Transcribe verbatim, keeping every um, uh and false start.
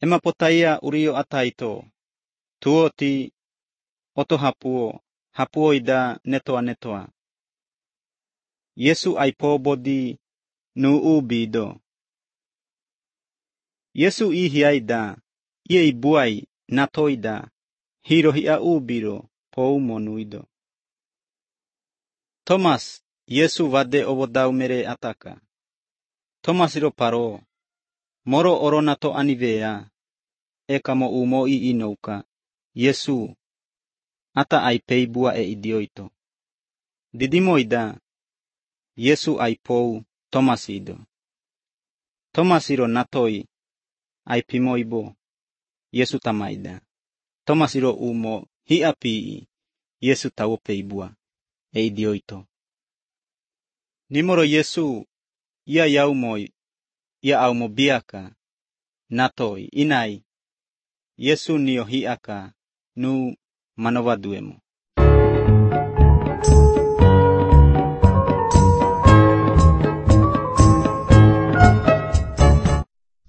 ema potaia urio ataito. Tuoti oto hapuo, hapuo ida netoa netoa. Yesu aipo bodi nu ubido. Yesu ihiaida, ie ibuai natoida, hiro hia ubiro pou monuido. Thomas, Yesu vade obodau mere ataka. Thomas iro paro, moro oronato anivea, ekamo umo i inouka, Yesu, ata aipei bua e idioito. Didimoida, Yesu aipou Thomas ido. Thomas iro natoi, aipimoibo, Yesu tamaida. Thomas iro umo hi api, Yesu tawopei bua e idioito. Nimoro Yesu, ia yaumoi, ia aumo biaka, natoi, inai, Yesu nio hiaka, nu manovaduemo.